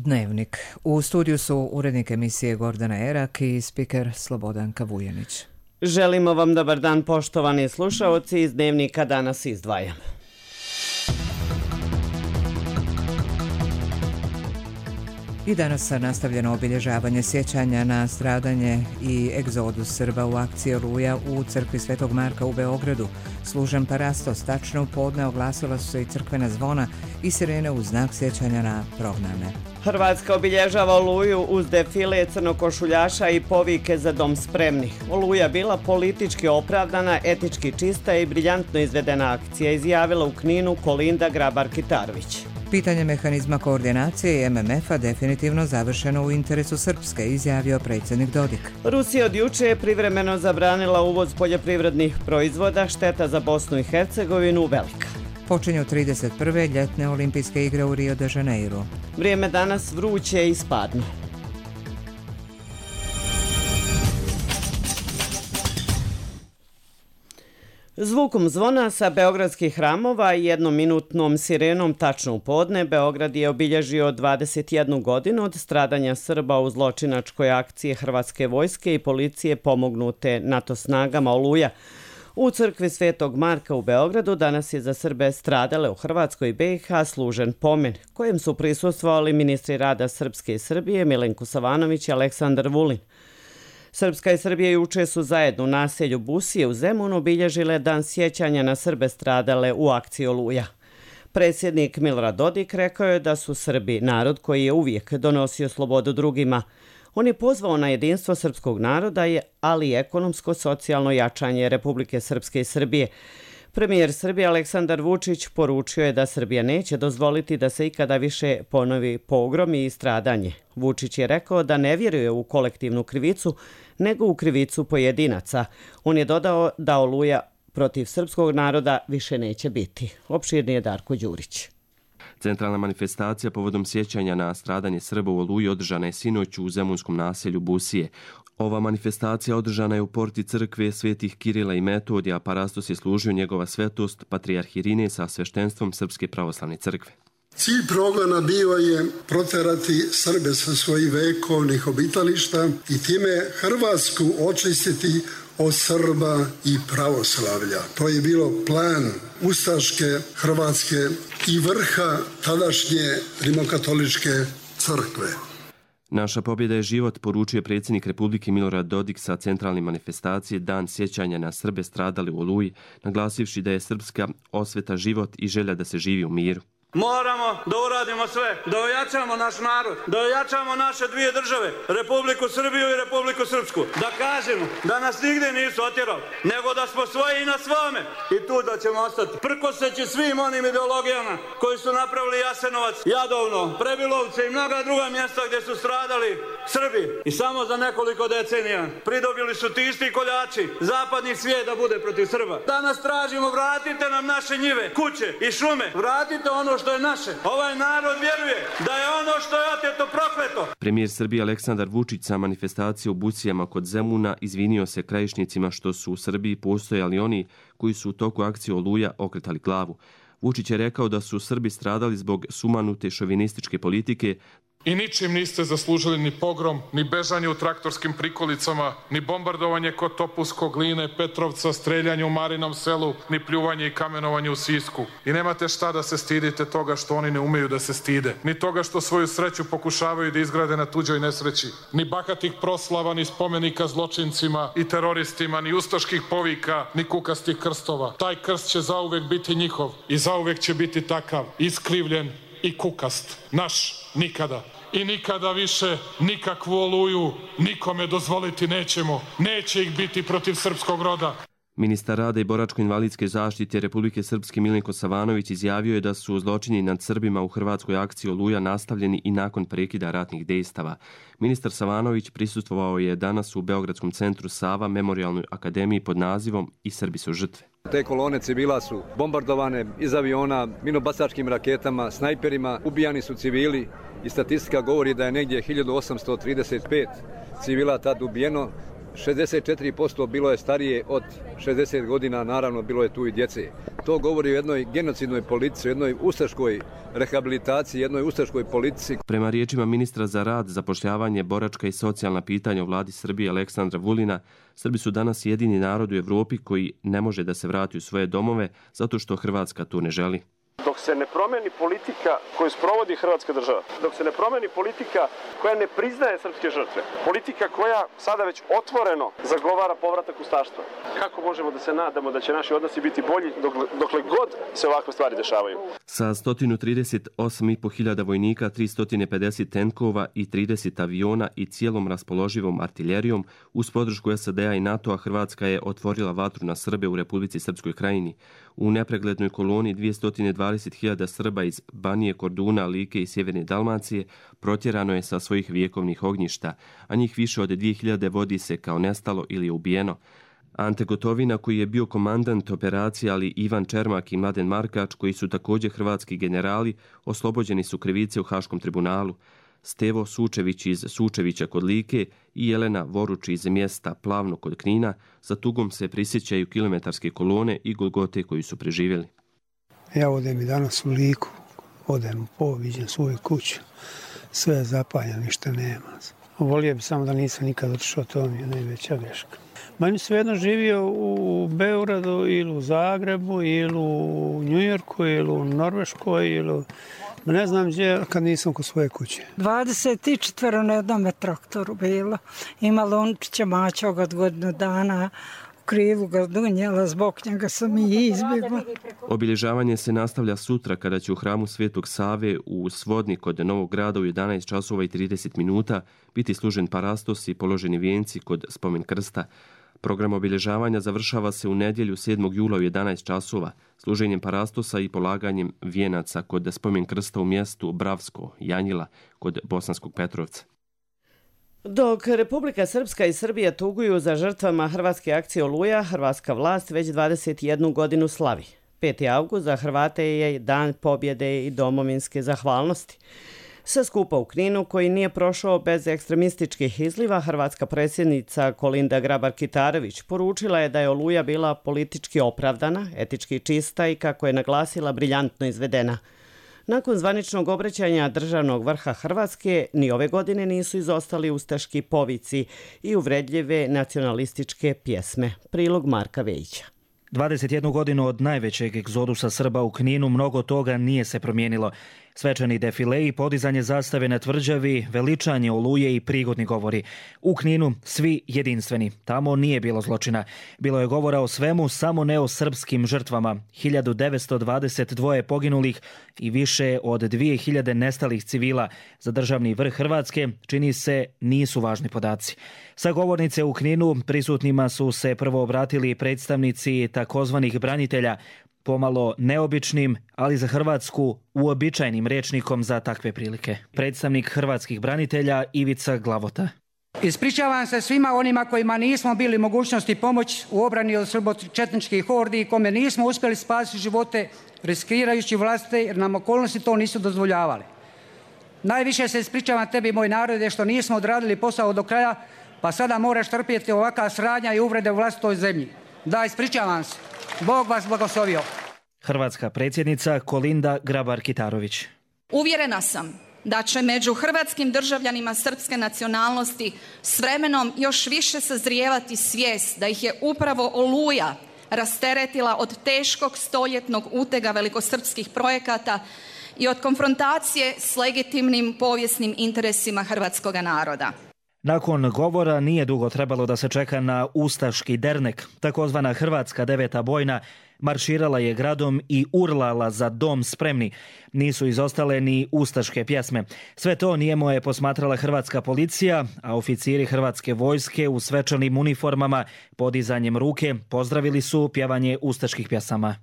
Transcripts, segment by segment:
Dnevnik. U studiju su urednik emisije Gordana Erak i spiker Slobodanka Vujanić. Želimo vam dobar dan, poštovani slušaoci. Iz Dnevnika danas izdvajam. I danas je nastavljeno obilježavanje sjećanja na stradanje i egzodus Srba u akciji Oluja u crkvi Svetog Marka u Beogradu. Služen parastos, tačno u podne oglasila su se i crkvena zvona i sirene u znak sjećanja na prognane. Hrvatska obilježava Oluju uz defile crnokošuljaša i povike za dom spremni. Oluja bila politički opravdana, etički čista i briljantno izvedena akcija, izjavila u Kninu Kolinda Grabar-Kitarović. Pitanje mehanizma koordinacije i MMF-a definitivno završeno u interesu Srpske, izjavio predsjednik Dodik. Rusija od juče je privremeno zabranila uvoz poljoprivrednih proizvoda, šteta za Bosnu i Hercegovinu velika. Počinju 31. ljetne olimpijske igre u Rio de Janeiro. Vrijeme danas vruće i spadno. Zvukom zvona sa beogradskih hramova i jednominutnom sirenom tačno u podne, Beograd je obilježio 21 godinu od stradanja Srba u zločinačkoj akciji Hrvatske vojske i policije pomognute NATO snagama Oluja. U crkvi Svetog Marka u Beogradu danas je za Srbe stradale u Hrvatskoj i BiH služen pomen, kojem su prisustvovali ministri rada Srpske i Srbije Milenko Savanović i Aleksandar Vulin. Srpska i Srbija juče su zajedno u naselju Busije u Zemunu obilježile dan sjećanja na Srbe stradale u akciji Oluja. Predsjednik Milorad Dodik rekao je da su Srbi narod koji je uvijek donosio slobodu drugima. On je pozvao na jedinstvo srpskog naroda, ali i ekonomsko-socijalno jačanje Republike Srpske i Srbije. Premijer Srbije Aleksandar Vučić poručio je da Srbija neće dozvoliti da se ikada više ponovi pogrom i stradanje. Vučić je rekao da ne vjeruje u kolektivnu krivicu, nego u krivicu pojedinaca. On je dodao da Oluja protiv srpskog naroda više neće biti. Opširnije Darko Đurić. Centralna manifestacija povodom sjećanja na stradanje Srba u Oluji održana je sinoć u zemunskom naselju Busije. Ova manifestacija održana je u porti crkve svetih Kirila i Metodija, a parastos je služio njegova svetost, patrijarh Irinej sa sveštenstvom Srpske pravoslavne crkve. Cilj progona bio je proterati Srbe sa svojih vekovnih obitališta i time Hrvatsku očistiti od Srba i pravoslavlja. To je bilo plan ustaške Hrvatske i vrha tadašnje rimokatoličke crkve. Naša pobjeda je život, poručuje predsjednik Republike Milorad Dodik sa centralne manifestacije Dan sjećanja na Srbe stradali u Oluji, naglasivši da je srpska osveta život i želja da se živi u miru. Moramo da uradimo sve, da ojačamo naš narod, da ojačamo naše dvije države, Republiku Srbiju i Republiku Srpsku. Da kažemo da nas nigdje nisu otjerali, nego da smo svoji i na svome i tu da ćemo ostati. Prkoseći svim onim ideologijama koji su napravili Jasenovac, Jadovno, Prebilovce i mnoga druga mjesta gdje su stradali Srbi. I samo za nekoliko decenija pridobili su ti isti koljači zapadni svijet da bude protiv Srba. Danas tražimo, vratite nam naše njive, kuće i šume, vratite ono što je naše. Ovaj narod vjeruje da je ono što je oteto prokleto. Premijer Srbije Aleksandar Vučić sa manifestacije u Busijama kod Zemuna izvinio se krajišnicima što su u Srbiji postojali oni koji su u toku akcije Oluja okretali glavu. Vučić je rekao da su Srbi stradali zbog sumanute šovinističke politike. I ničim niste zaslužili ni pogrom, ni bežanje u traktorskim prikolicama, ni bombardovanje kod Topuskog, Gline, Petrovca, streljanje u Marinom selu, ni pljuvanje i kamenovanje u Sisku. I nemate šta da se stidite toga što oni ne umeju da se stide, ni toga što svoju sreću pokušavaju da izgrade na tuđoj nesreći, ni bahatih proslava, ni spomenika zločincima i teroristima, ni ustaških povika, ni kukastih krstova. Taj krst će zauvek biti njihov i zauvek će biti takav, iskrivljen i kukast. Naš nikada. I nikada više nikakvu Oluju nikome dozvoliti nećemo. Neće ih biti protiv srpskog roda. Ministar rada i boračko-invalidske zaštite Republike Srpske Milenko Savanović izjavio je da su zločini nad Srbima u hrvatskoj akciji Oluja nastavljeni i nakon prekida ratnih dejstava. Ministar Savanović prisustvovao je danas u Beogradskom centru Sava Memorijalnoj akademiji pod nazivom I Srbi su žrtve. Te kolone civila su bombardovane iz aviona, minobacačkim raketama, snajperima, ubijani su civili i statistika govori da je negdje 1835 civila tad ubijeno, 64% bilo je starije od 60 godina, naravno bilo je tu i djece. To govori o jednoj genocidnoj politici, jednoj ustaškoj rehabilitaciji, jednoj ustaškoj politici. Prema riječima ministra za rad, zapošljavanje, boračka i socijalna pitanja u vladi Srbije Aleksandra Vulina, Srbi su danas jedini narod u Evropi koji ne može da se vrati u svoje domove zato što Hrvatska to ne želi. Dok se ne promeni politika koju sprovodi Hrvatska država, dok se ne promeni politika koja ne priznaje srpske žrtve, politika koja sada već otvoreno zagovara povratak ustaštva, kako možemo da se nadamo da će naši odnosi biti bolji dokle god se ovakve stvari dešavaju? Sa 138.500 vojnika, 350 tenkova i 30 aviona i cijelom raspoloživom artiljerijom, uz podršku SAD-a i NATO-a, Hrvatska je otvorila vatru na Srbe u Republici Srpskoj Krajini. U nepreglednoj koloni 220.000 Srba iz Banije, Korduna, Like i Sjeverne Dalmacije protjerano je sa svojih vjekovnih ognjišta, a njih više od 2000 vodi se kao nestalo ili je ubijeno. Ante Gotovina, koji je bio komandant operacije, ali Ivan Čermak i Mladen Markač, koji su također hrvatski generali, oslobođeni su krivice u Haškom tribunalu. Stevo Sučević iz Sučevića kod Like i Jelena Voruč iz mjesta Plavno kod Knina za tugom se prisjećaju kilometarske kolone i golgote koju su preživjeli. Ja odem i danas u Liku, odem viđem svoju kuću, sve je zapaljeno, ništa nema. Volio bi samo da nisam nikad otišao, to mi je najveća greška. Meni svejedno živio u Beogradu ili u Zagrebu ili u Njujorku ili u Norveškoj ili ne znam gdje kad nisam kod svoje kuće. 24 na jednom traktoru bilo. Imala Lončića Mačoga od godinu dana. Krivu ga donijela, zbog njega sam i izbjegla. Obilježavanje se nastavlja sutra kada će u hramu Svetog Save u Svodni kod Novog Grada u 11 časova i 30 minuta biti služen parastos i položeni vijenci kod spomen krsta. Program obilježavanja završava se u nedjelju 7. jula u 11 časova, služenjem parastosa i polaganjem vijenaca kod spomen krsta u mjestu Bravsko, Janjila, kod Bosanskog Petrovca. Dok Republika Srpska i Srbija tuguju za žrtvama hrvatske akcije Oluja, hrvatska vlast već 21 godinu slavi. 5. avgust za Hrvate je dan pobjede i domovinske zahvalnosti. Sa skupa u Kninu, koji nije prošao bez ekstremističkih izliva, hrvatska predsjednica Kolinda Grabar-Kitarović poručila je da je Oluja bila politički opravdana, etički čista i, kako je naglasila, briljantno izvedena. Nakon zvaničnog obraćanja državnog vrha Hrvatske, ni ove godine nisu izostali ustaški povici i uvredljive nacionalističke pjesme. Prilog Marka Vejića. 21 godinu od najvećeg egzodusa Srba u Kninu mnogo toga nije se promijenilo. Svečani defile i podizanje zastave na tvrđavi, veličanje Oluje i prigodni govori. U Kninu svi jedinstveni. Tamo nije bilo zločina. Bilo je govora o svemu, samo ne o srpskim žrtvama. 1922 poginulih i više od 2000 nestalih civila. Za državni vrh Hrvatske, čini se, nisu važni podaci. Sa govornice u Kninu prisutnima su se prvo obratili predstavnici takozvanih branitelja, pomalo neobičnim, ali za Hrvatsku uobičajenim rečnikom za takve prilike. Predstavnik hrvatskih branitelja Ivica Glavota. Ispričavam se svima onima kojima nismo bili mogućnosti pomoći u obrani od srbočetničkih hordi i kome nismo uspjeli spasiti živote riskirajući vlastite jer nam okolnosti to nisu dozvoljavale. Najviše se ispričavam tebi, moj narode, što nismo odradili posao do kraja, pa sada moraš trpjeti ovakva sranja i uvrede u vlastitoj zemlji. Da, ispričavam se. Bog vas blagoslovio. Hrvatska predsjednica Kolinda Grabar-Kitarović. Uvjerena sam da će među hrvatskim državljanima srpske nacionalnosti s vremenom još više sazrijevati svijest da ih je upravo Oluja rasteretila od teškog stoljetnog utega velikosrpskih projekata i od konfrontacije s legitimnim povijesnim interesima hrvatskoga naroda. Nakon govora nije dugo trebalo da se čeka na ustaški dernek. Takozvana Hrvatska 9. bojna marširala je gradom i urlala za dom spremni. Nisu izostale ni ustaške pjesme. Sve to nijemo je posmatrala hrvatska policija, a oficiri hrvatske vojske u svečanim uniformama podizanjem ruke pozdravili su pjevanje ustaških pjesama.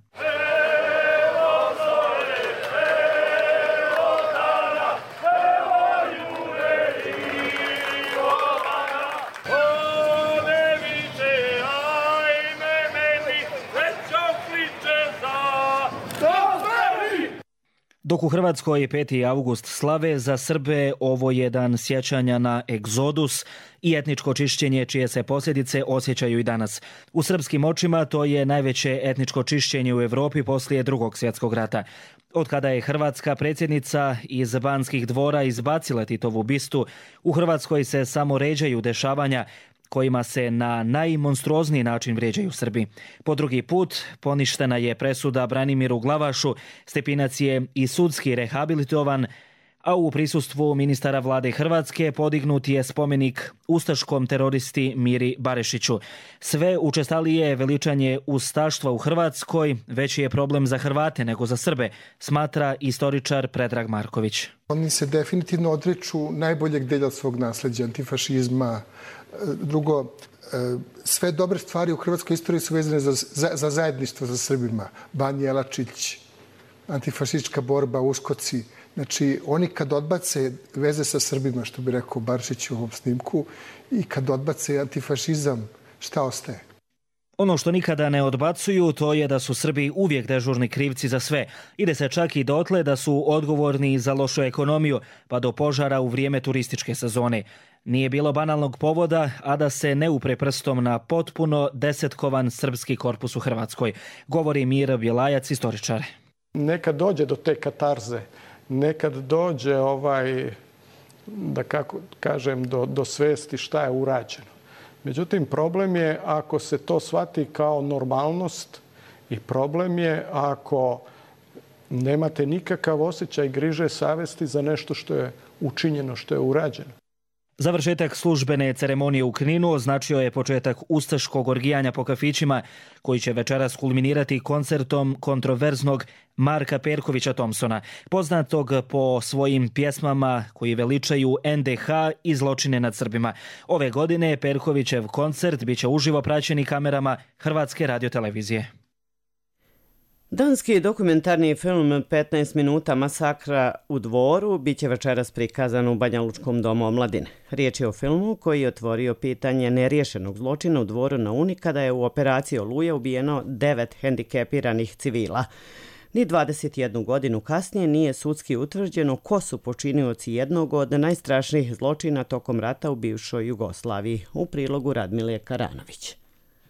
Dok u Hrvatskoj 5. august slave, za Srbe ovo je dan sjećanja na egzodus i etničko čišćenje čije se posljedice osjećaju i danas. U srpskim očima to je najveće etničko čišćenje u Europi poslije Drugog svjetskog rata. Od kada je hrvatska predsjednica iz Banskih dvora izbacila Titovu bistu, u Hrvatskoj se samo ređaju dešavanja kojima se na najmonstruozniji način vrijeđaju Srbi. Po drugi put poništena je presuda Branimiru Glavašu, Stepinac je i sudski rehabilitovan, a u prisustvu ministara vlade Hrvatske podignut je spomenik ustaškom teroristi Miri Barešiću. Sve učestalije veličanje ustaštva u Hrvatskoj veći je problem za Hrvate nego za Srbe, smatra istoričar Predrag Marković. Oni se definitivno odriču najboljeg delja svog nasljeđa, antifašizma. Drugo, sve dobre stvari u hrvatskoj istoriji su vezane za zajedništvo sa Srbima. Ban Jelačić, antifašistička borba, uskoci. Znači, oni kad odbace veze sa Srbima, što bi rekao Baršić u ovom snimku, i kad odbace antifašizam, šta ostaje? Ono što nikada ne odbacuju, to je da su Srbi uvijek dežurni krivci za sve. Ide se čak i dotle da su odgovorni za lošu ekonomiju, pa do požara u vrijeme turističke sezone. Nije bilo banalnog povoda, a da se ne upre prstom na potpuno desetkovan srpski korpus u Hrvatskoj, govori Miro Bjelajac, istoričar. Nekad dođe do te katarze, nekad dođe da kako kažem do svesti šta je urađeno. Međutim, problem je ako se to shvati kao normalnost i problem je ako nemate nikakav osjećaj griže savesti za nešto što je učinjeno, što je urađeno. Završetak službene ceremonije u Kninu označio je početak ustaškog orgijanja po kafićima, koji će večeras kulminirati koncertom kontroverznog Marka Perkovića Thompsona, poznatog po svojim pjesmama koji veličaju NDH i zločine nad Srbima. Ove godine Perkovićev koncert biće uživo praćeni kamerama Hrvatske radiotelevizije. Danski dokumentarni film 15 minuta masakra u Dvoru biće večeras prikazan u Banja Lučkom domu omladine. Riječ je o filmu koji je otvorio pitanje neriješenog zločina u Dvoru na Uni kada je u operaciji Oluja ubijeno 9 hendikepiranih civila. Ni 21 godinu kasnije nije sudski utvrđeno ko su počinioci jednog od najstrašnijih zločina tokom rata u bivšoj Jugoslaviji. U prilogu Radmile Karanović.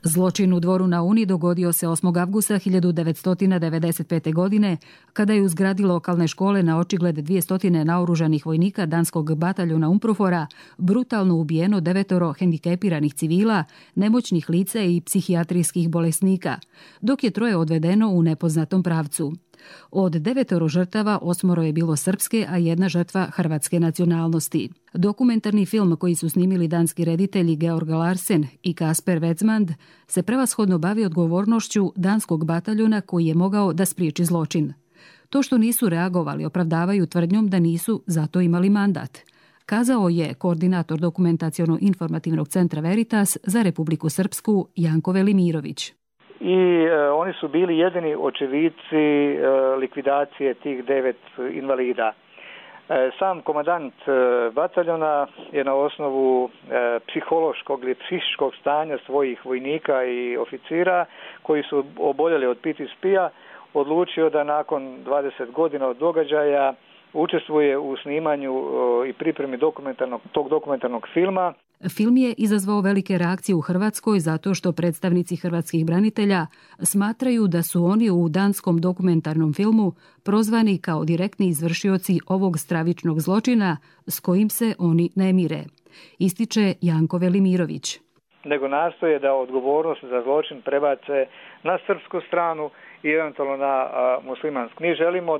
Zločin u Dvoru na Uni dogodio se 8. avgusta 1995. godine, kada je u zgradi lokalne škole na očigled 200 naoružanih vojnika danskog bataljona Umprofora brutalno ubijeno 9 hendikepiranih civila, nemoćnih lica i psihijatrijskih bolesnika, dok je 3 odvedeno u nepoznatom pravcu. Od 9 žrtava 8 je bilo srpske, a 1 žrtva hrvatske nacionalnosti. Dokumentarni film koji su snimili danski reditelji Georg Larsen i Kasper Wetzmand se prevashodno bavi odgovornošću danskog bataljona koji je mogao da spriječi zločin. To što nisu reagovali opravdavaju tvrdnjom da nisu zato imali mandat, kazao je koordinator dokumentaciono-informativnog centra Veritas za Republiku Srpsku Janko Velimirović. I oni su bili jedini očevici likvidacije tih 9 invalida. Sam komandant bataljona je na osnovu psihološkog ili psihičkog stanja svojih vojnika i oficira koji su oboljeli od PTSP-a odlučio da nakon 20 godina od događaja učestvuje u snimanju i pripremi tog dokumentarnog filma. Film je izazvao velike reakcije u Hrvatskoj zato što predstavnici hrvatskih branitelja smatraju da su oni u danskom dokumentarnom filmu prozvani kao direktni izvršioci ovog stravičnog zločina s kojim se oni ne mire, ističe Janko Velimirović. Nego nastoje da odgovornost za zločin prebace na srpsku stranu i eventualno na muslimansku. Mi želimo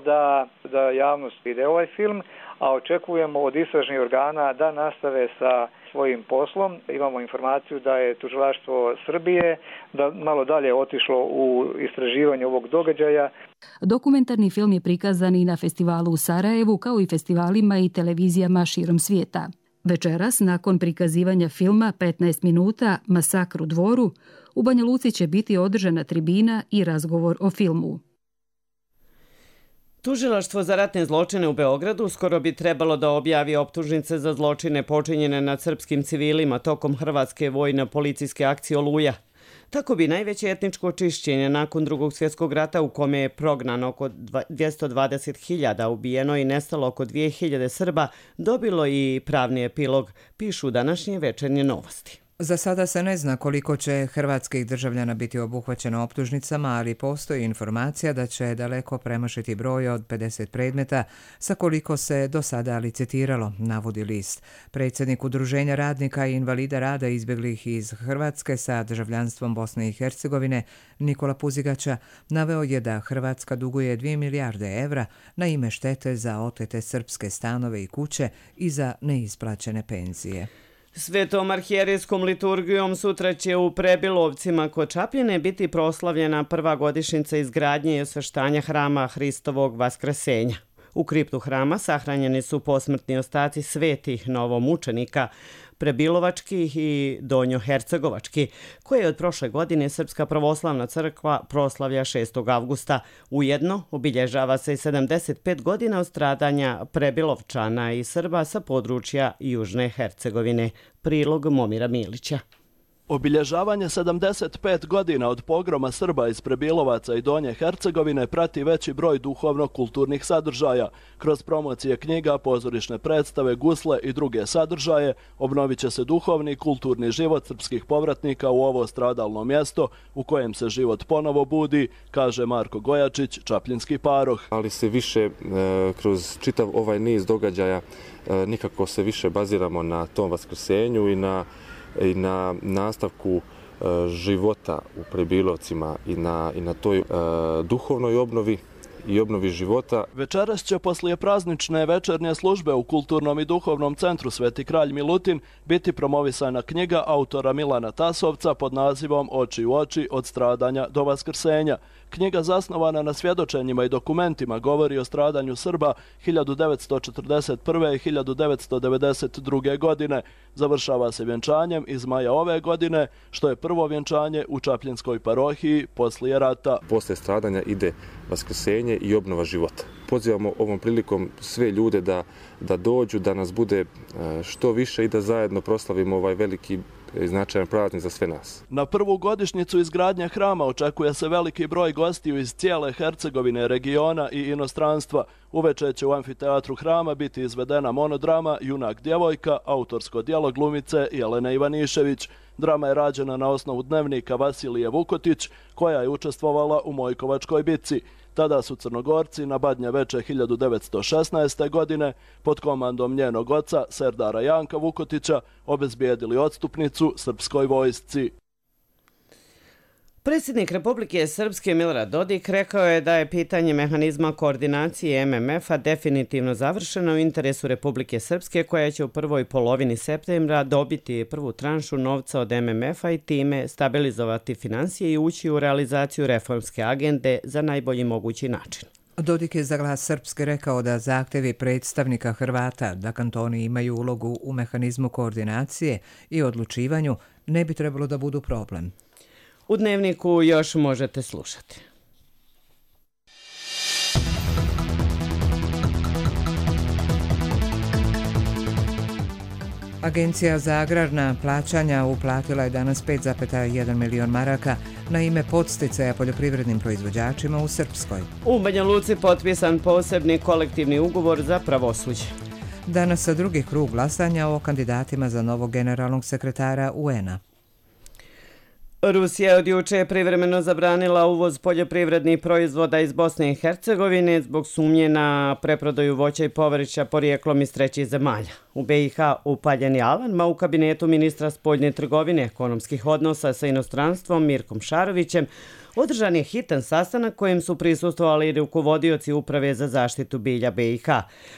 da javnost vide ovaj film, a očekujemo od istražnih organa da nastave sa svojim poslom. Imamo informaciju da je tužilaštvo Srbije da malo dalje otišlo u istraživanje ovog događaja. Dokumentarni film je prikazan i na festivalu u Sarajevu, kao i festivalima i televizijama širom svijeta. Večeras, nakon prikazivanja filma 15 minuta Masakr u Dvoru, u Banja Luci će biti održana tribina i razgovor o filmu. Tužilaštvo za ratne zločine u Beogradu skoro bi trebalo da objavi optužnice za zločine počinjene nad srpskim civilima tokom hrvatske vojno-policijske akcije Oluja. Tako bi najveće etničko očišćenje nakon Drugog svjetskog rata, u kome je prognano oko 220.000, ubijeno i nestalo oko 2.000 Srba, dobilo i pravni epilog, pišu današnje Večernje novosti. Za sada se ne zna koliko će hrvatskih državljana biti obuhvaćeno optužnicama, ali postoji informacija da će daleko premašiti broj od 50 predmeta sa koliko se do sada licitiralo, navodi list. Predsjednik Udruženja radnika i invalida rada izbjeglih iz Hrvatske sa državljanstvom Bosne i Hercegovine, Nikola Puzigača, naveo je da Hrvatska duguje 2 milijarde evra na ime štete za otete srpske stanove i kuće i za neisplaćene penzije. Svetom arhijerijskom liturgijom sutra će u Prebilovcima kod Čapljine biti proslavljena prva godišnjica izgradnje i osveštanja hrama Hristovog Vaskresenja. U kriptu hrama sahranjeni su posmrtni ostaci svetih novomučenika, Prebilovačkih i Donjohercegovački, koje od prošle godine Srpska pravoslavna crkva proslavlja 6. avgusta. Ujedno obilježava se i 75 godina od stradanja Prebilovčana i Srba sa područja Južne Hercegovine. Prilog Momira Milića. Obilježavanje 75 godina od pogroma Srba iz Prebilovaca i Donje Hercegovine prati veći broj duhovno-kulturnih sadržaja. Kroz promocije knjiga, pozorišne predstave, gusle i druge sadržaje obnovit će se duhovni i kulturni život srpskih povratnika u ovo stradalno mjesto u kojem se život ponovo budi, kaže Marko Gojačić, čapljinski paroh. Ali se više kroz čitav ovaj niz događaja nikako se više baziramo na tom vaskrsenju i na nastavku života u Prebilovcima i na toj duhovnoj obnovi i obnovi života. Večeras će poslije praznične večernje službe u Kulturnom i duhovnom centru Sveti kralj Milutin biti promovisana knjiga autora Milana Tasovca pod nazivom Oči u oči od stradanja do vaskrsenja. Knjiga zasnovana na svjedočenjima i dokumentima govori o stradanju Srba 1941. i 1992. godine. Završava se vjenčanjem iz maja ove godine, što je prvo vjenčanje u Čapljinskoj parohiji poslije rata. Posle stradanja ide vaskrsenje i obnova života. Pozivamo ovom prilikom sve ljude da dođu, da nas bude što više i da zajedno proslavimo ovaj veliki i značajan praznik za sve nas. Na prvu godišnjicu izgradnje hrama očekuje se veliki broj gostiju iz cijele Hercegovine, regiona i inostranstva. Uveče će u amfiteatru hrama biti izvedena monodrama Junak djevojka, autorsko djelo glumice Jelene Ivanišević. Drama je rađena na osnovu dnevnika Vasilije Vukotić, koja je učestvovala u Mojkovačkoj bitci. Tada su Crnogorci na Badnje veče 1916. godine pod komandom njenog oca Serdara Janka Vukotića obezbijedili odstupnicu srpskoj vojsci. Predsjednik Republike Srpske Milorad Dodik rekao je da je pitanje mehanizma koordinacije MMF-a definitivno završeno u interesu Republike Srpske, koja će u prvoj polovini septembra dobiti prvu tranšu novca od MMF-a i time stabilizovati finansije i ući u realizaciju reformske agende za najbolji mogući način. Dodik je za Glas Srpske rekao da zahtjevi predstavnika Hrvata da kantoni imaju ulogu u mehanizmu koordinacije i odlučivanju ne bi trebalo da budu problem. U Dnevniku još možete slušati. Agencija za agrarna plaćanja uplatila je danas 5,1 milion maraka na ime podsticaja poljoprivrednim proizvođačima u Srpskoj. U Banja Luci potpisan posebni kolektivni ugovor za pravosuđe. Danas sa drugi krug glasanja o kandidatima za novog generalnog sekretara UN-a. Rusija od juče privremeno zabranila uvoz poljoprivrednih proizvoda iz Bosne i Hercegovine zbog sumnje na preprodaju voća i povrća porijeklom iz trećih zemalja. U BiH upaljen je alarm, u kabinetu ministra spoljne trgovine ekonomskih odnosa sa inostranstvom Mirkom Šarovićem održan je hitan sastanak kojem su prisustvovali rukovodioci Uprave za zaštitu bilja BiH.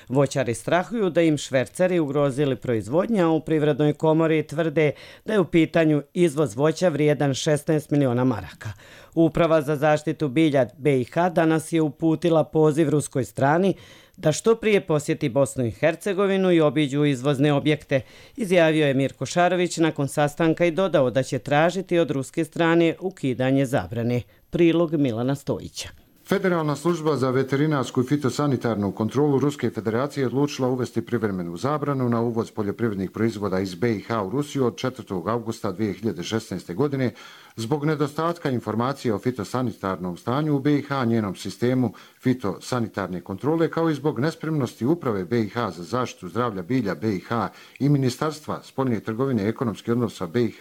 Voćari strahuju da im šverceri ugrozili proizvodnju, a u Privrednoj komori tvrde da je u pitanju izvoz voća vrijedan 16 miliona maraka. Uprava za zaštitu bilja BiH danas je uputila poziv ruskoj strani da što prije posjeti Bosnu i Hercegovinu i obiđu izvozne objekte, izjavio je Mirko Šarović nakon sastanka i dodao da će tražiti od ruske strane ukidanje zabrane. Prilog Milana Stojića. Federalna služba za veterinarsku i fitosanitarnu kontrolu Ruske federacije odlučila uvesti privremenu zabranu na uvoz poljoprivrednih proizvoda iz BiH u Rusiju od 4. augusta 2016. godine zbog nedostatka informacija o fitosanitarnom stanju u BiH, njenom sistemu fitosanitarne kontrole, kao i zbog nespremnosti Uprave BiH za zaštitu zdravlja bilja BiH i Ministarstva spoljne trgovine i ekonomskih odnosa BiH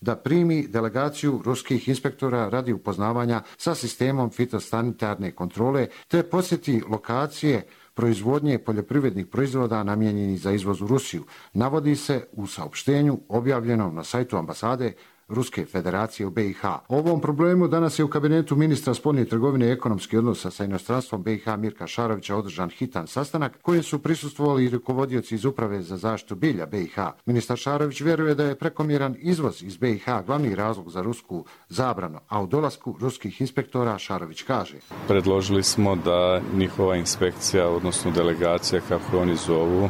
da primi delegaciju ruskih inspektora radi upoznavanja sa sistemom fitosanitarne kontrole te posjeti lokacije proizvodnje poljoprivrednih proizvoda namijenjenih za izvoz u Rusiju, navodi se u saopštenju objavljenom na sajtu ambasade Ruske federacije u BiH. O ovom problemu danas je u kabinetu ministra spoljne trgovine i ekonomskih odnosa sa inostranstvom BiH Mirka Šarovića održan hitan sastanak kojem su prisustvovali i rukovodioci iz Uprave za zaštitu bilja BiH. Ministar Šarović vjeruje da je prekomjeran izvoz iz BiH glavni razlog za rusku zabranu, a u dolasku ruskih inspektora Šarović kaže: predložili smo da njihova inspekcija, odnosno delegacija, kako oni zovu,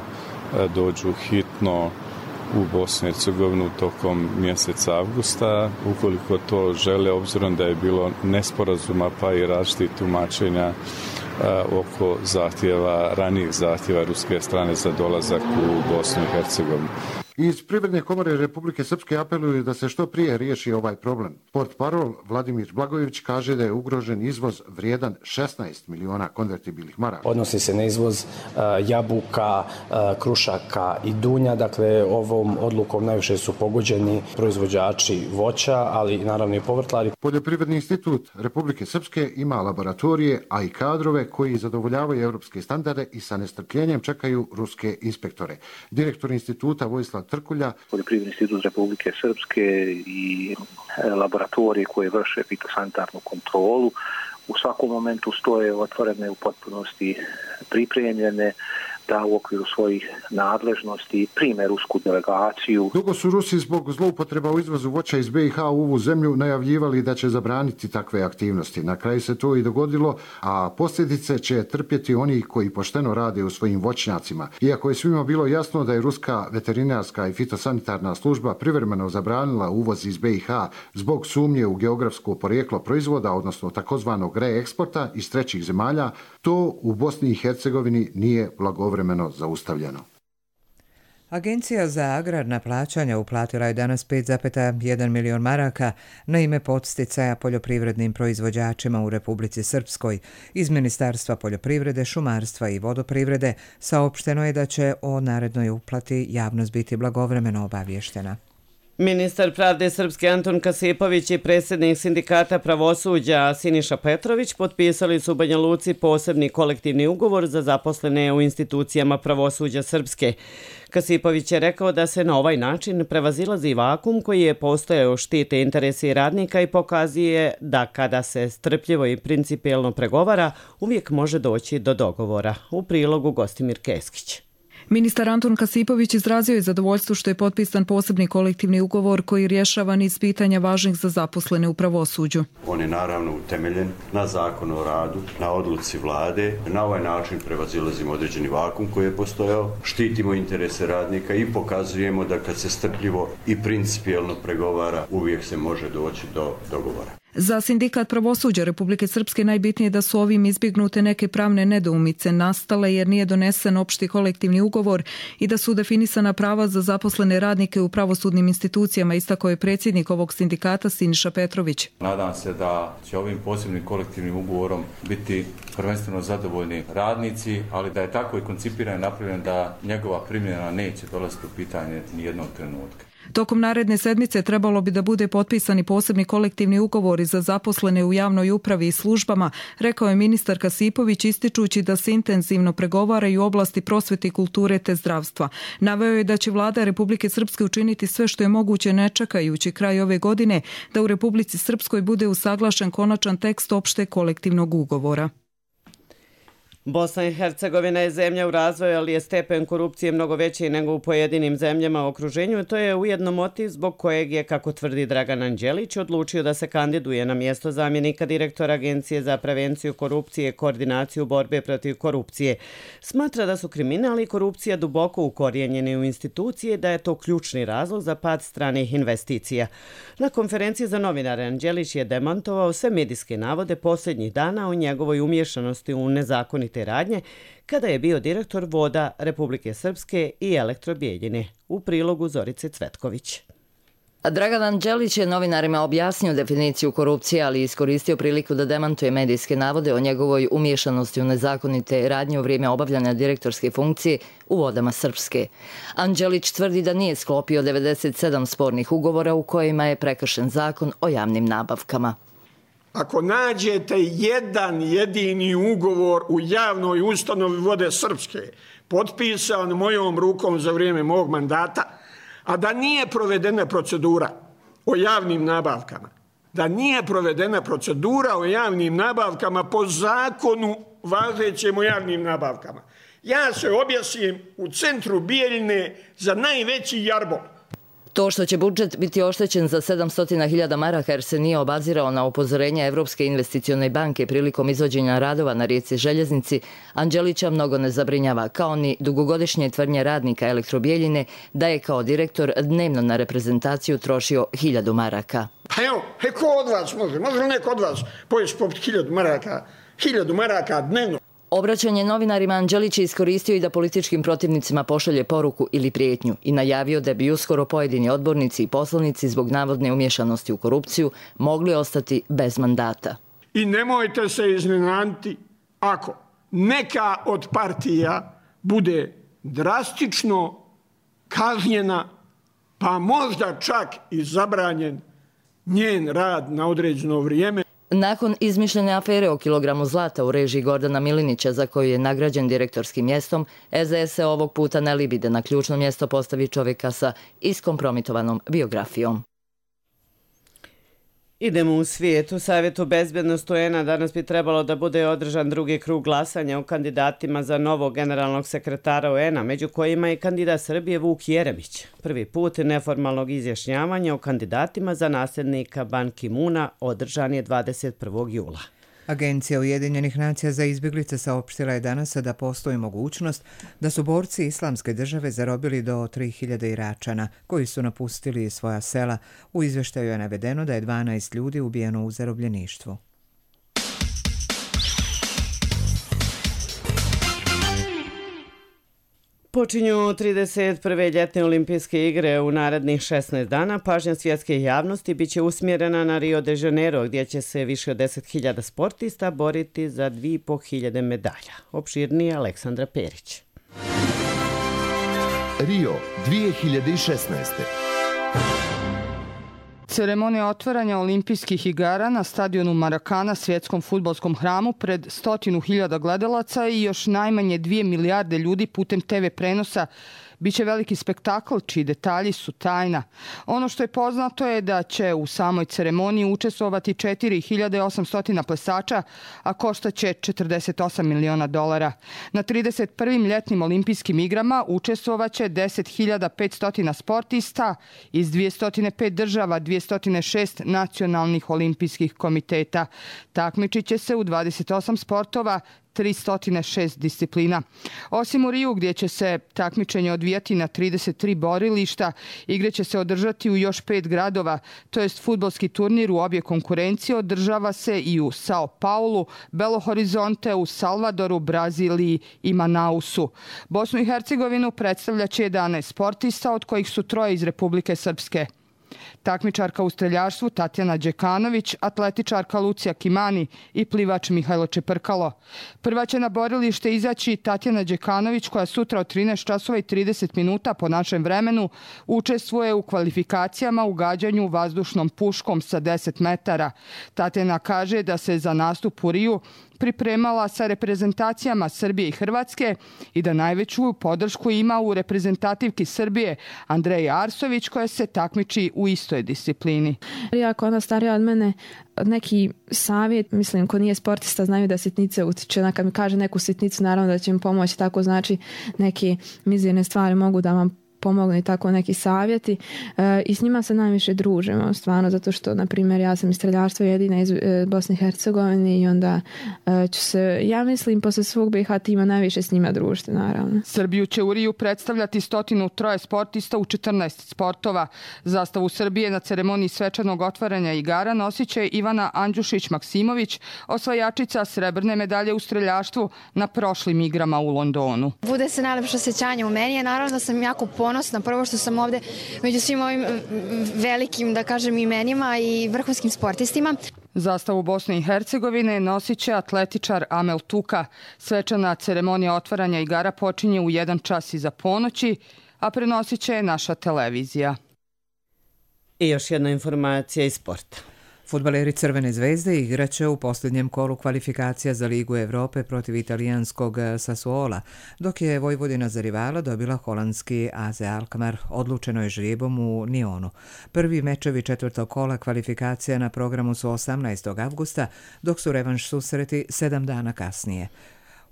dođu hitno u Bosnu i Hercegovinu tokom mjeseca avgusta, ukoliko to žele, obzirom da je bilo nesporazuma pa i različitih tumačenja oko ranijih zahtjeva ruske strane za dolazak u Bosnu i Hercegovinu. Iz Privredne komore Republike Srpske apeluju da se što prije riješi ovaj problem. Portparol Vladimir Blagojević kaže da je ugrožen izvoz vrijedan 16 miliona konvertibilnih maraka. Odnosi se na izvoz jabuka, krušaka i dunja. Dakle, ovom odlukom najviše su pogođeni proizvođači voća, ali naravno i povrtlari. Poljoprivredni institut Republike Srpske ima laboratorije, a i kadrove koji zadovoljavaju evropske standarde i sa nestrpljenjem čekaju ruske inspektore. Direktor instituta Vojislav Trkulja. Poljoprivredni institut Republike Srpske i laboratorije koje vrše fitosanitarnu kontrolu u svakom momentu stoje otvorene, u potpunosti pripremljene da u okviru svojih nadležnosti prime rusku delegaciju. Dugo su Rusi zbog zloupotreba u izvozu voća iz BiH u ovu zemlju najavljivali da će zabraniti takve aktivnosti. Na kraju se to i dogodilo, a posljedice će trpjeti oni koji pošteno rade u svojim voćnjacima. Iako je svima bilo jasno da je ruska veterinarska i fitosanitarna služba privremeno zabranila uvoz iz BiH zbog sumnje u geografsko porijeklo proizvoda, odnosno takozvanog reeksporta iz trećih zemalja, to u Bosni i Hercegovini nije blagovremeno zaustavljeno. Agencija za agrarna plaćanja uplatila je danas 5,1 milion maraka na ime podsticaja poljoprivrednim proizvođačima u Republici Srpskoj. Iz Ministarstva poljoprivrede, šumarstva i vodoprivrede saopšteno je da će o narednoj uplati javnost biti blagovremeno obavještena. Ministar pravde Srpske Anton Kasipović i predsjednik sindikata pravosuđa Siniša Petrović potpisali su u Banja Luci posebni kolektivni ugovor za zaposlene u institucijama pravosuđa Srpske. Kasipović je rekao da se na ovaj način prevazilazi vakum koji je postojao, štite interesi radnika i pokazuje da kada se strpljivo i principijelno pregovara, uvijek može doći do dogovora. U prilogu Gostimir Keskić. Ministar Anton Kasipović izrazio je zadovoljstvo što je potpisan posebni kolektivni ugovor koji rješava niz pitanja važnih za zaposlene u pravosuđu. On je naravno utemeljen na zakonu o radu, na odluci vlade. Na ovaj način prevazilazimo određeni vakum koji je postojao, štitimo interese radnika i pokazujemo da kad se strpljivo i principijelno pregovara, uvijek se može doći do dogovora. Za sindikat pravosuđa Republike Srpske najbitnije je da su ovim izbjegnute neke pravne nedoumice nastale jer nije donesen opšti kolektivni ugovor i da su definisana prava za zaposlene radnike u pravosudnim institucijama, istakao je predsjednik ovog sindikata Siniša Petrović. Nadam se da će ovim posebnim kolektivnim ugovorom biti prvenstveno zadovoljni radnici, ali da je tako i koncipiran i napravljen da njegova primjena neće dolaziti u pitanje nijednog trenutka. Tokom naredne sedmice trebalo bi da bude potpisani posebni kolektivni ugovori za zaposlene u javnoj upravi i službama, rekao je ministar Kasipović ističući da se intenzivno pregovaraju u oblasti prosvete i kulture te zdravstva. Naveo je da će vlada Republike Srpske učiniti sve što je moguće ne čekajući kraj ove godine da u Republici Srpskoj bude usaglašen konačan tekst opšte kolektivnog ugovora. Bosna i Hercegovina je zemlja u razvoju, ali je stepen korupcije mnogo veći nego u pojedinim zemljama u okruženju. To je ujedno motiv zbog kojeg je, kako tvrdi Dragan Anđelić, odlučio da se kandiduje na mjesto zamjenika direktora Agencije za prevenciju korupcije i koordinaciju borbe protiv korupcije. Smatra da su kriminal i korupcija duboko ukorijenjeni u institucije, da je to ključni razlog za pad stranih investicija. Na konferenciji za novinare Anđelić je demantovao sve medijske navode posljednjih dana o njegovoj umješanosti u nezakonite radnje kada je bio direktor Voda Republike Srpske i Elektrobijeljine. U prilogu Zorice Cvetković. Dragan Anđelić je novinarima objasnio definiciju korupcije, ali iskoristio priliku da demantuje medijske navode o njegovoj umješanosti u nezakonite radnje u vrijeme obavljanja direktorske funkcije u Vodama Srpske. Anđelić tvrdi da nije sklopio 97 spornih ugovora u kojima je prekršen zakon o javnim nabavkama. Ako nađete jedan jedini ugovor u javnoj ustanovi Vode Srpske, potpisan mojom rukom za vrijeme mog mandata, a da nije provedena procedura o javnim nabavkama, po zakonu važećem o javnim nabavkama, ja se objesim u centru Bijeljine za najveći jarbol. To što će budžet biti oštećen za 700.000 maraka jer se nije obazirao na upozorenje Evropske investicione banke prilikom izvođenja radova na rijeci Željeznici, Anđelića mnogo ne zabrinjava, kao ni dugogodišnje tvrdnje radnika Elektrobijeljine da je kao direktor dnevno na reprezentaciju trošio 1.000 maraka. Pa evo, ko od vas može li neko od vas pojesti poput 1.000 maraka dnevno? Obraćanje novinarima Anđelić je iskoristio i da političkim protivnicima pošalje poruku ili prijetnju i najavio da bi uskoro pojedini odbornici i poslanici zbog navodne umješanosti u korupciju mogli ostati bez mandata. I nemojte se iznenaditi ako neka od partija bude drastično kažnjena, pa možda čak i zabranjen njen rad na određeno vrijeme. Nakon izmišljene afere o kilogramu zlata u režiji Gordana Milinića, za koju je nagrađen direktorskim mjestom, SDS se ovog puta ne libi da na ključno mjesto postavi čovjeka sa iskompromitovanom biografijom. Idemo u svijet. U Savjetu bezbjednosti UN-a danas bi trebalo da bude održan drugi krug glasanja o kandidatima za novog generalnog sekretara UN-a, među kojima je kandidat Srbije Vuk Jeremić. Prvi put neformalnog izjašnjavanja o kandidatima za nasljednika Ban Ki-moona održan je 21. jula. Agencija Ujedinjenih nacija za izbjeglice saopštila je danas da postoji mogućnost da su borci Islamske države zarobili do 3000 Iračana koji su napustili svoja sela. U izvještaju je navedeno da je 12 ljudi ubijeno u zarobljeništvu. Počinju 31. ljetne olimpijske igre u narednih 16 dana. Pažnja svjetske javnosti biće usmjerena na Rio de Janeiro, gdje će se više od 10.000 sportista boriti za 2.500 medalja. Opširnije Aleksandra Perić. Rio 2016. Ceremonija otvaranja olimpijskih igara na stadionu Maracana, svjetskom fudbalskom hramu, pred 100.000 gledalaca i još najmanje 2 milijarde ljudi putem TV prenosa biće veliki spektakl čiji detalji su tajna. Ono što je poznato je da će u samoj ceremoniji učestvovati 4.800 plesača, a koštaće $48 miliona. Na 31. ljetnim olimpijskim igrama učestvovaće 10.500 sportista iz 205 država, 206 nacionalnih olimpijskih komiteta. Takmičit će se u 28 sportova, 306 disciplina. Osim u Riju, gdje će se takmičenje odvijati na 33 borilišta, igre će se održati u još 5 gradova, to jest fudbalski turnir u obje konkurencije održava se i u Sao Paulu, Belo Horizonte, u Salvadoru, Braziliji i Manausu. Bosnu i Hercegovinu predstavljaće 11 sportista, od kojih su 3 iz Republike Srpske. Takmičarka u streljaštvu Tatjana Đekanović, atletičarka Lucija Kimani i plivač Mihajlo Čeprkalo. Prva će na borilište izaći Tatjana Đekanović, koja sutra od 13 časova i 30 minuta po našem vremenu učestvuje u kvalifikacijama u gađanju vazdušnom puškom sa 10 metara. Tatjana kaže da se za nastup u Riju pripremala sa reprezentacijama Srbije i Hrvatske i da najveću podršku ima u reprezentativki Srbije Andreji Arsović koja se takmiči u istoj disciplini. Iako ona starija od mene, neki savjet, mislim, ko nije sportista znaju da sitnice utiče. Kad mi kaže neku sitnicu, naravno da će mi pomoći, tako znači neke mizerne stvari mogu da vam pomognu i tako neki savjeti i s njima se najviše družimo stvarno zato što, na primjer, ja sam iz streljaštva jedina iz Bosne i Hercegovine i onda ću se, ja mislim, posle svog BiH tima najviše s njima družiti, naravno. Srbiju će u Riju predstavljati 103 sportista u 14 sportova. Zastavu Srbije na ceremoniji svečanog otvaranja igara nosit će Ivana Andjušić-Maksimović, osvajačica srebrne medalje u streljaštvu na prošlim igrama u Londonu. Bude se najlepše osjećanje u meni, naravno da sam jako ponosna prvo što sam ovde među svim ovim velikim, da kažem, imenima i vrhunskim sportistima. Zastavu Bosne i Hercegovine nosit će atletičar Amel Tuka. Svečana ceremonija otvaranja igara počinje u 1 čas iza ponoći, a prenosit će naša televizija. I još jedna informacija iz sporta. Fudbaleri Crvene zvezde igraće u posljednjem kolu kvalifikacija za Ligu Evrope protiv italijanskog Sassuola, dok je Vojvodina za rivala dobila holandski AZ Alkmaar. Odlučeno je žrijebom u Nionu. Prvi mečevi 4. kola kvalifikacija na programu su 18. avgusta, dok su revanš susreti 7 dana kasnije.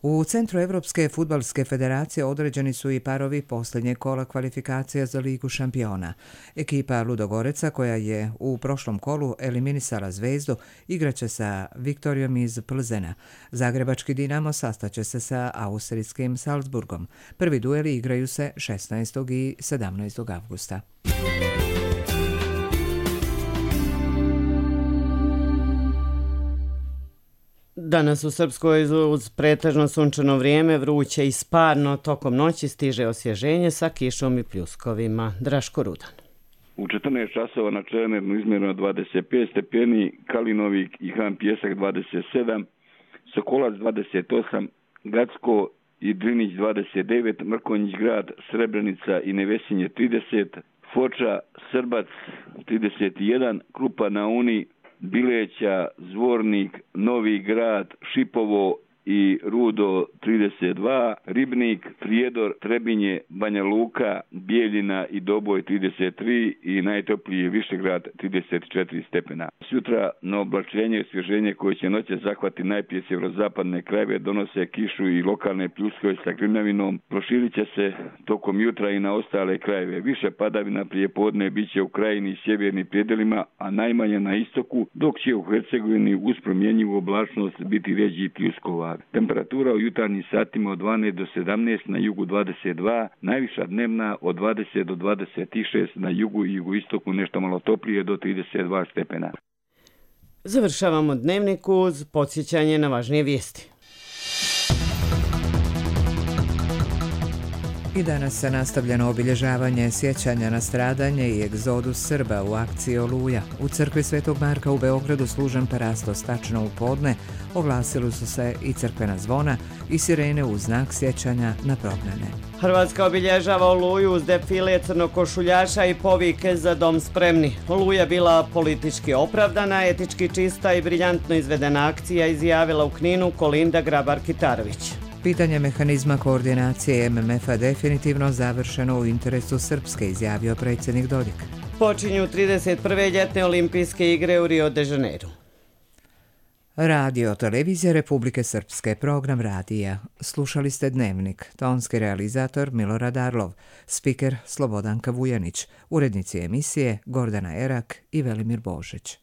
U Centru Evropske fudbalske federacije određeni su i parovi posljednjeg kola kvalifikacija za Ligu šampiona. Ekipa Ludogoreca, koja je u prošlom kolu eliminisala Zvezdu, igraće sa Viktorijom iz Plzena. Zagrebački Dinamo sastaće se sa austrijskim Salzburgom. Prvi dueli igraju se 16. i 17. avgusta. Danas u Srpskoj uz pretežno sunčano vrijeme, vruće i sparno, tokom noći stiže osvježenje sa kišom i pljuskovima. Draško Rudan. U 14 časova na Čemernu izmjereno 25 stepeni, Kalinovik i Han Pjesak 27, Sokolac 28, Gacko i Drinić 29, Mrkonjić grad, Srebrenica i Nevesinje 30, Foča, Srbac 31, Krupa na Uni, Bileća, Zvornik, Novi grad, Šipovo i Rudo 32, Ribnik, Prijedor, Trebinje, Banja Luka, Bijeljina i Doboj 33 i najtopliji Višegrad 34 stepena. Sutra na oblačenje i osvježenje koje će noće zahvati najprije sjeverozapadne krajeve donose kišu i lokalne pljuskove sa grmljavinom. Proširit će se tokom jutra i na ostale krajeve. Više padavina prije podne bit će u krajini i sjevernim predjelima, a najmanje na istoku, dok će u Hercegovini uz promjenjivu oblačnost biti rjeđi pljuskova. Temperatura u jutarnjim satima od 12 do 17, na jugu 22, najviša dnevna od 20 do 26, na jugu i jugoistoku nešto malo toplije do 32 stepena. Završavamo dnevnik uz podsjećanje na važnije vijesti. I danas se nastavljeno obilježavanje sjećanja na stradanje i egzodus Srba u akciji Oluja. U crkvi Svetog Marka u Beogradu služen parastos tačno u podne, oglasili su se i crkvena zvona i sirene u znak sjećanja na prognane. Hrvatska obilježava Oluju uz defile crnokošuljaša i povike za dom spremni. Oluja bila politički opravdana, etički čista i briljantno izvedena akcija, izjavila u Kninu Kolinda Grabar-Kitarović. Pitanje mehanizma koordinacije MMF-a definitivno završeno u interesu Srpske, izjavio predsjednik Dodik. Počinju 31. ljetne olimpijske igre u Rio de Janeiro. Radio Televizija Republike Srpske, program radija. Slušali ste Dnevnik, tonski realizator Milorad Arlov, spiker Slobodanka Vujanić, urednici emisije Gordana Erak i Velimir Božić.